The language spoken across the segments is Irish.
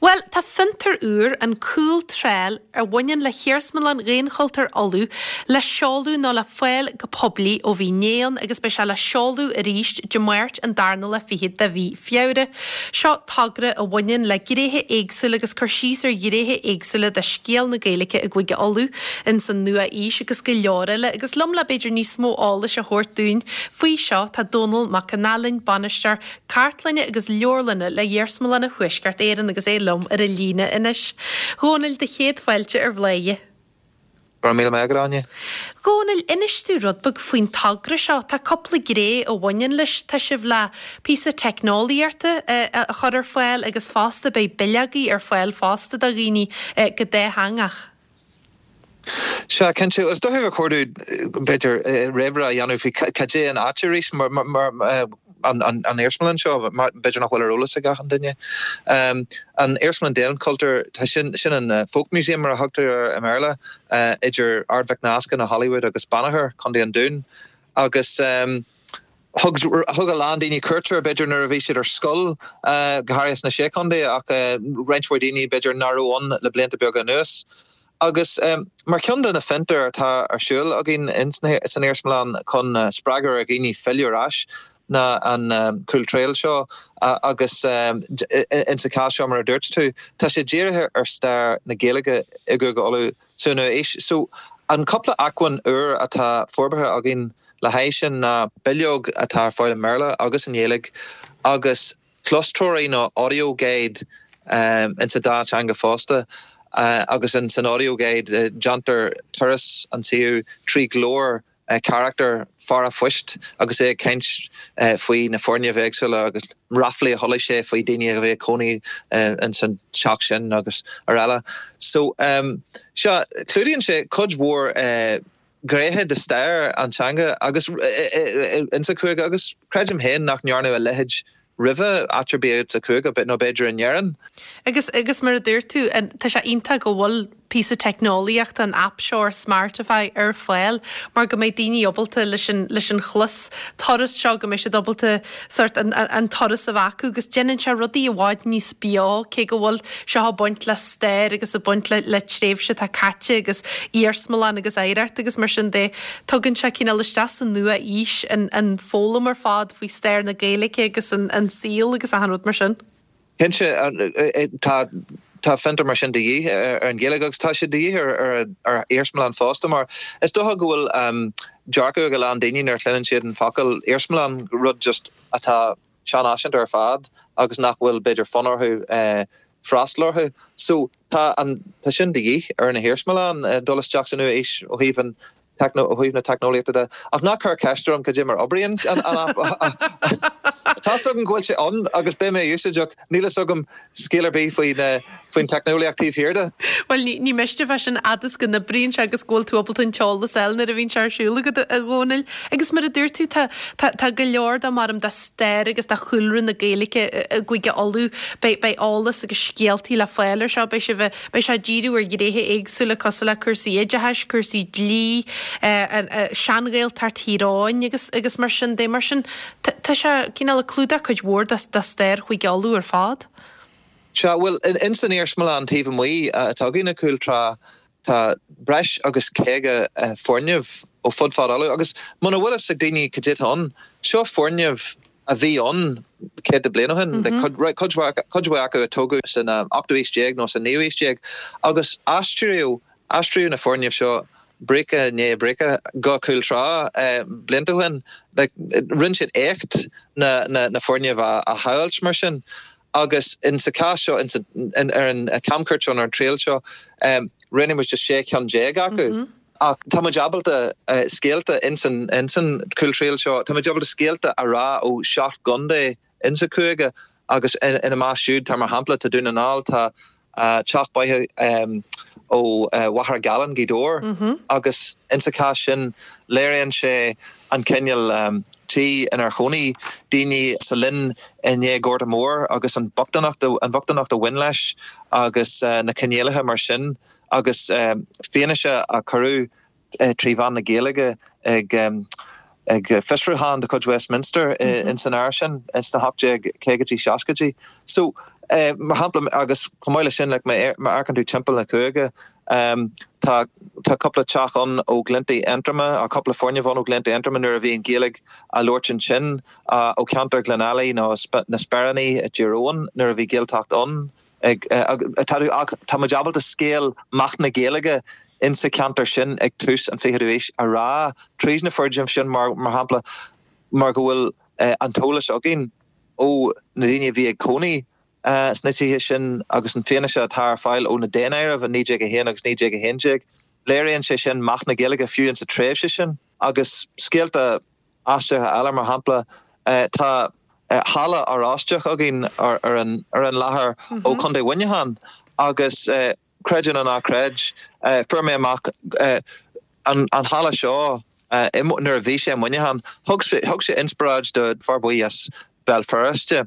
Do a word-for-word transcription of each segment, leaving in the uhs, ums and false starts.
Bhuel, tá fiontar úr, an Cúl Trail, a bhaineann le hIarsmalann Dhaonchultúir Uladh le seoladh nó le fáil go poiblí ó bhí inné ann agus beidh sé le seoladh arís Dé Máirt an darna lá fichead de mhí Feabhra. Seo togra a bhaineann le gnéithe éagsúla agus cur síos ar ghnéithe éagsúla de scéal na Gaeilge i gCúige Uladh ins an nua-aois agus go leor eile agus liom le b'fhéidir níos mó eolais a thabhairt dúinn faoi seo tá Dónal Mac an Ailin, bainisteoir cartlainne agus leabharlainne le Iarsmalanna Thuaisceart Éireann agus é liom ar an líne anois. Dhónaill do chéad fáilte ar Bhladhaire. Go raibh míle maith agat, Áine. Dhónaill, inis dúinn rud beag faoin togra seo. Tá cúpla gné a bhaineann leis. Tá sibh le píosa teicneolaíochta a chur ar fáil agus fosta beidh bileogaí ar fáil fosta do dhaoine go dátheangach. Sea, cinnte. Is dócha gur chóir dúinn, b'fhéidir, réamhrá a dhéanamh faoi cad é an áit arís mar an iarsmalann seo, b'fhéidir nach bhfuil ar eolas ag achan duine. An Iarsmalann Daonchultúir, tá sin, sin an Folk Museum mar a thugtar air i mBéarla, idir Ard Mhic Nasca nó Hollywood agus Banagher, Contae an Dúin. Agus thug, thug a lán daoine cuairt air, b'fhéidir nuair a bhí siad ar scoil, go háirithe sna Sé Chontae, ach roinnt mhór daoine b'fhéidir nach raibh ann le blianta beaga anuas. Agus mar cheann de na fiontair atá ar siúl againn san iarsmalann chun spreagadh ar dhaoine filleadh ar ais ná an Cúl Trail seo agus insa chás seo mar a dúirt tú, tá sé dírithe ar stair na Gaeilge i gCúige Uladh sa nua-aois. So an cúpla acmhainn úr atá forbartha againn le haghaidh sin ná bileog atá ar fáil i mBéarla agus i nGaeilge agus clostreoraí nó audio guide insa dá teanga fosta agus in san audio guide déantar turas an suíomh trí ghlór carachtar fear an phoist agus é ag caint faoi na foirgnimh éagsúla agus ráflaí a chuala sé faoi daoine a bhí ag cónaí insan teach sin agus araile. So sea, clúdaíonn sé cuid mhór gnéithe de stair an teanga agus insa chúige agus creidim féin nach ndearnadh a leithéid roimhe áit ar bith sa chúige nó b'fhéidir in Éirinn. Agus agus mar a dúirt tú, tá sé iontach go bhfuil píosa teicneolaíochta an aip seo ar Smartify ar fáil mar go mbeidh daoine ábalta leis an leis an chlos turas seo go mbeidh siad ábalta sort an an turas a bheith acu agus déanann sé rudaí i bhfad níos beo cé go bhfuil seo ag baint le stair agus ag baint le le tréimhse atá caite agus iarsmalann agus oidhreacht agus mar sin de tugann sé cineál isteach sa nua-aois an an foghlaim ar fad faoi stair na Gaeilge agus an an saol agus achan rud mar sin. Cinnte tá tá fiontar mar sin de dhíth ar an Ghaeilge agus tá sé de dhíth ar ar iarsmalann fosta mar is dócha go bhfuil dearcadh ag a lán daoine nuair a chluineann siad an focal iarsmalann rud just atá seanfhaiseanta ar fad agus nach bhfuil b'fhéidir fonn orthu freastal orthu. So tá an tá sin de dhíth ar na hiarsmalann dul isteach sa nua-aois ó thaobh an ó thaobh na teicneolaíochta de. Ach ná cuir ceist orm cad é mar oibríonn an aip. Tá 's agam go bhfuil sé ann agus beidh mé á úsáid ach níl fhios agam scéal ar bith faoin faoin teicneolaíocht taobh thiar de. Bhuel ní miste fá sin fhad is go n-oibríonn sé agus go bhfuil tú ábalta an t-eolas a fháil nuair a bhíonn sé ar siúl agat a Dhónaill. Agus mar a dúirt tú tá tá go leor dá maram de stair agus de chúlra na Gaeilge i gCúige Uladh. Beidh beidh eolas agus scéaltaí le fáil ar seo, beidh sibh beidh sé ag díriú ar ghnéithe éagsúla cosúil le cúrsaí oideachais, cúrsaí dlí, sean-Ghaeltacht Thír Eoghain agus agus mar sin de. Mar sin tá sé cineál ag clúdach cuid mhór de de stair Chúige Uladh ar fad. Sea, bhuel, in san iarsmalann taobh amuigh atá againn i Cúl Trá tá breis agus caoga foirgneamh ó fud fad Uladh agus muna bhfuil fhios ag daoine cad é atá ann, seo foirgneamh a bhí ann céadta bliain ó shin, cuid mhaith acu a tógadh san ochtú haois déag nó sa naoú haois déag agus aistríodh aistríodh na foirgnimh seo bríce i ndiaidh bríce go Cúl Trá blianta ó shin. Rinne siad éacht na na foirgnimh a shábháilt mar sin agus in sa chás seo ar an camchuairt seo ar an triail seo rinne muid just sé cheann déag acu. Ach tá muid ábalta scéalta insan insan Cúl Trail seo, tá muid ábalta scéalta a rá ó seacht gcontae insa chúige agus ina measc siúd tá mar shampla tá Dún na nGall, tá teach baile ó Mhachaire Gallan, Gaoth Dobhair agus insa chás sin léiríonn sé an cineál tí inar chónaigh daoine sa linn i ndiaidh Gorta Mór agus an bhochtaineacht an bhochtaineacht a bhain leis agus na coinníollacha mar sin agus fianaise a cuireadh trí mheán na Gaeilge ag ag fiosrúchán de chuid Westminster in san áir sin sna hocht déag caogaidí seascaidí. So Mar shampla, agus chomh maith leis sin, like, má amharcann tú timpeall na cúige, tá tá cúpla teach ann ó Ghleanntaí Aontroma, cúpla foirgneamh ann ó Ghleanntaí Aontroma nuair a bhí an Ghaeilge á labhairt ansin, ó cheantar Ghleann Fhailí nó na Speiríní i dTír Eoghain nuair a bhí Gaeltacht ann. Tá muid ábalta scéal meath na Gaeilge insa cheantar sin ag tús an fichiú haois a rá tríd na foirgnimh sin mar mar shampla mar go bhfuil an t-eolas againn ó na daoine a bhí ag cónaí sna tithe sin agus an fianaise atá ar fáil ó na daonáirimh i naoi déag a haon agus naoi déag a haon déag. Léiríonn sé sin meath na Gaeilge fiú insa tréimhse sin. Agus scéalta aisteacha eile, mar shampla, tá halla oráisteach againn ar an ar an láthair ó Chontae Mhuineacháin agus creid é nó ná creid, fuair mé amach an an halla seo nuair a bhí sé i Muineachán, thug sé thug sé inspioráid do fear buí as Béal Feirste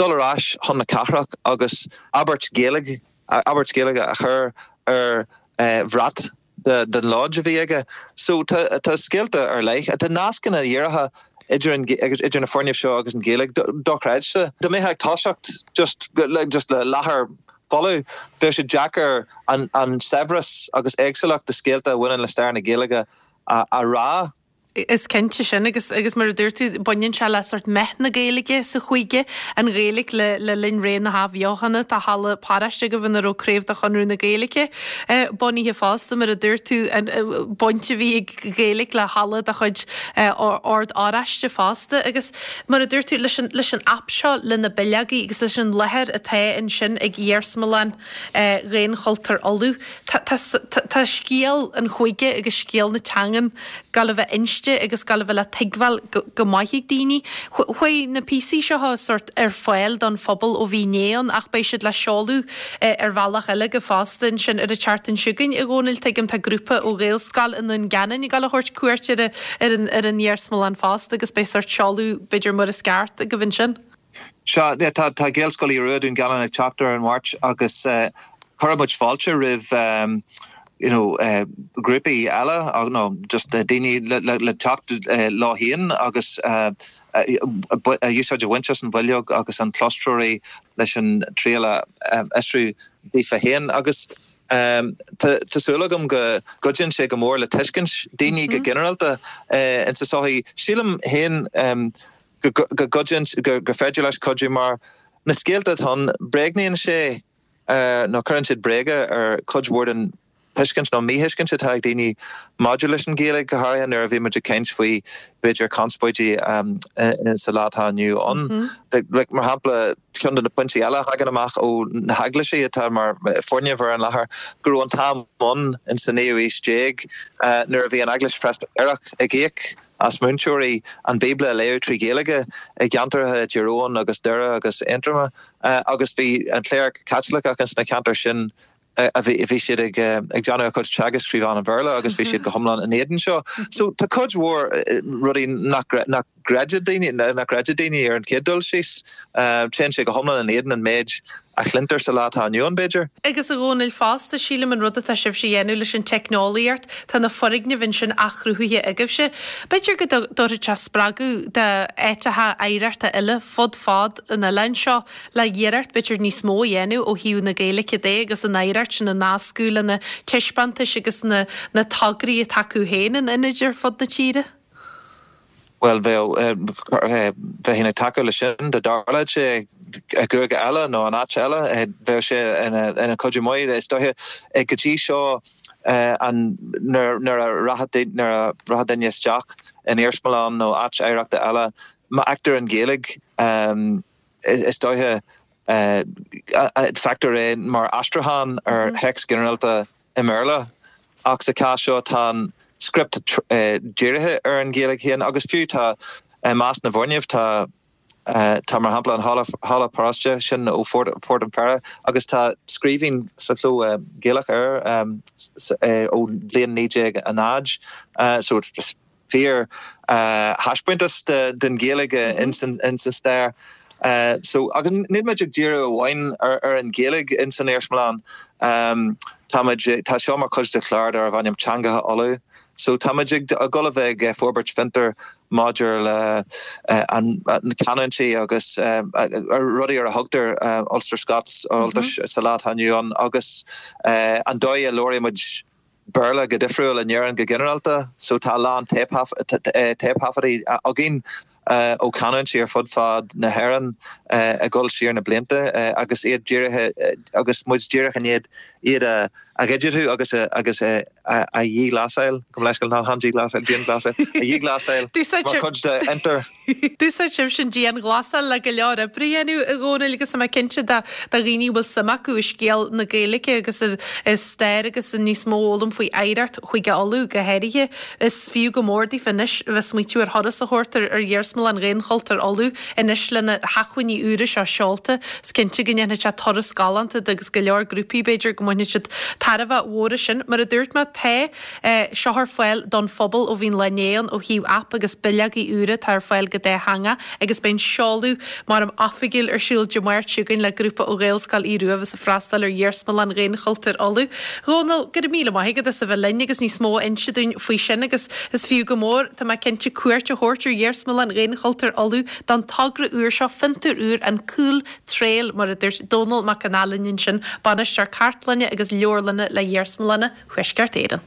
dul ar ais chun na cathrach agus abairt Ghaeilge abairt Ghaeilge a chur ar bhrat den lodge a bhí aige. So tá tá scéalta ar leith, tá nascanna díreacha idir an idir na foirgnimh seo agus an Ghaeilge dochreidte. Dá mbeifeá ag toiseacht just just le láthair folamh, bheadh sé deacair an an saibhreas agus éagsúlacht de scéalta a bhaineann le stair na Gaeilge a a rá. Is cinnte sin agus agus mar a dúirt tú baineann sé le sort meath na Gaeilge sa chúige, an Ghaeilge le le linn ré na hAthbheochana, tá halla paráiste agaibh ina raibh craobh de Chonradh na Gaeilge bunaithe fosta mar a dúirt tú an baint a bhí ag Gaeilge le halla de chuid Ord Oráiste fosta agus mar a dúirt tú leis an leis an aip seo le na bileogaí agus leis an láthair atá ansin ag Iarsmalann Dhaonchultúr Uladh tá tá tá scéal an chúige agus scéal na teangan ag gabháil a bheith inste agus ag gabháil a bheith le tuigbheáil go maith ag daoine. Chuaigh na píosaí seo sort ar fáil don phobal ó bhí inné ann ach beidh siad le seoladh ar bhealach eile go fosta ansin ar an tseachtain seo chugainn a Dhónaill tuigim tá grúpa ó Ghaelscoil i nDún Geanainn ag gabháil a thabhairt cuairt ar ar an ar an iarsmalann fosta agus beidh sort seoladh b'fhéidir mar is ceart agaibh ansin. Sea, tá tá Gaelscoil Aodha Rua Dún Geanainn ag teacht ar an Mháirt agus chuir muid fáilte roimh you know, uh, grúpaí eile nó just uh, daoine le, le, le teacht uh, leo féin agus uh, uh, úsáid a bhaint as an bhileog agus an clostreoraí leis an triail a fhiosrú daofa féin agus um, tá súil agam go gcuidíonn sé go mór le tuiscint daoine go ginearálta uh, in sa sochaí. Sílim féin um, go gcuidíonn go gur féidir leis cuidiú mar na scéalta atá ann bréagnaíonn sé uh, nó cuireann siad bréaga ar cuid mhór den tuiscint nó míthuiscint atá ag daoine maidir leis an Ghaeilge go háirithe nuair a bhí muid ag caint faoi b'fhéidir conspóidí um, sa lá atá inniu ann. Mm -hmm. like, mar shampla ceann de na pointí eile a thagann amach ó na heaglaisí atá mar foirgnimh ar an láthair go raibh an t-am ann in sa naoú haois déag uh, nuair a bhí an eaglais Phreispitéireach ag íoc as múinteoirí an Bíobla a léamh trí Ghaeilge i gceantartha Thír Eoghain agus Doire agus Aontroma uh, agus bhí an chléir Caitliceach sna ceantair sin a bhí bhí siad ag ag déanamh a chuid teagasc trí mheán an Bhéarla agus bhí siad go hiomlán in éadan seo. So tá cuid mhór rudaí nach nach gcreideann daoine nach gcreideann daoine ar an chéad dul síos téann sé go hiomlán in éadan an méid a chluintear sa lá atá inniu ann b'fhéidir. Agus a Dhónaill fosta sílim an rud atá sibhse a dhéanamh leis an teicneolaíocht, tá na foirgnimh ansin athchruthaithe agaibhse. B'fhéidir go dtabharfadh sé spreagadh d'áiteacha oidhreachta eile fud fad an oileáin seo le iarracht b'fhéidir níos mó a dhéanamh ó thaobh na Gaeilge de agus an oidhreacht sin a nascadh le na taispeántais agus na na tograí atá acu féin in ionaid ar fud na tíre. Well bheadh bheinn ag tacú leis sin dá dtarlódh sé i gcúige eile nó in áit eile bheadh sé ina ina cuidiú maith is dóiche go dtí seo an nuair a rachadh nuair a rachadh duine isteach in iarsmalann nó áit oidhreachta eile má fheictear an Ghaeilge is dóiche feictear é mar aistriúchán ar théacs ginearálta i mBéarla ach sa chás seo tá an script dírithe ar an Ghaeilge féin agus fiú tá i measc na bhfoirgneamh tá tá mar shampla an halla halla paróiste sin ó Phort an Pheire agus tá scríbhinn sa chló Gaelach air ó bhliain naoi déag a náid so fíor thaispeántas den Ghaeilge in sa stair. So agus níl muid ag díriú amháin ar ar an Ghaeilge in san iarsmalann. Um, Táimid tá seo mar chuid de chlár darb ainm Teangacha Uladh. So táimid ag dul a bheith ag forbairt fiontar maidir le an canúintí agus rudaí ar a thugtar Ulster Scots Ultais sa lá atá inniu ann agus an dóigh a labhraímid Béarla go difriúil in Éirinn go ginearálta, so tá a lán téipthaifeadtaí againn ó chanúintí ar fud fad na hÉireann ag dul siar na blianta agus iad dírithe agus muid díreach i ndiaidh iad a a dhigitiú agus a agus a a dhíghlasáil, gabh mo leithscéal, ná han díghlasáil, dianghlasáil, a dhíghlasáil mar chuid de fhiontar. D'úsáid sibhse an dianghlasáil le go leor oibre a dhéanamh, a Dhónaill, agus tá mé cinnte do dhaoine a bhfuil suim acu i scéal na Gaeilge agus i stair agus i níos mó a fhoghlaim faoi oidhreacht Chúige Uladh go háirithe, is fiú go mór daofa anois a bheith ag smaoitiú ar thuras a thabhairt ar Iarsmalann Dhaonchultúir Uladh anois le na hacmhainní úra seo seolta. Is cinnte go ndéanfaidh sé turas galánta de agus go leor grúpaí b'fhéidir go mbainfidh siad tairbhe mhór as sin. Mar a dúirt mé, tá seo ar fáil don phobal ó bhí an lá inné ann ó thaobh aip agus bileogaí úra atá ar fáil go dátheangach agus beidh an seoladh mar am oifigiúil ar siúl Dé Máirt seo chugainn le grúpa ó Ghaelscoil Aodh Rua a bheas ag freastal ar Iarsmalann Dhaonchultúir Uladh. Dhónaill, go raibh míle maith agat as a bheith linn agus níos mó a inse dúinn faoi sin agus is fiú go mór, tá mé cinnte, cuairt a thabhairt ar Iarsmalann Dhaonchultúir Uladh don togra úr seo, fiontar úr, an Cool Trail, mar a dúirt Dónall Mac Con Ailín ansin, Bainisteoir Cartlainne agus Leabharlainne le Iarsmalanna Thuaisceart Éireann.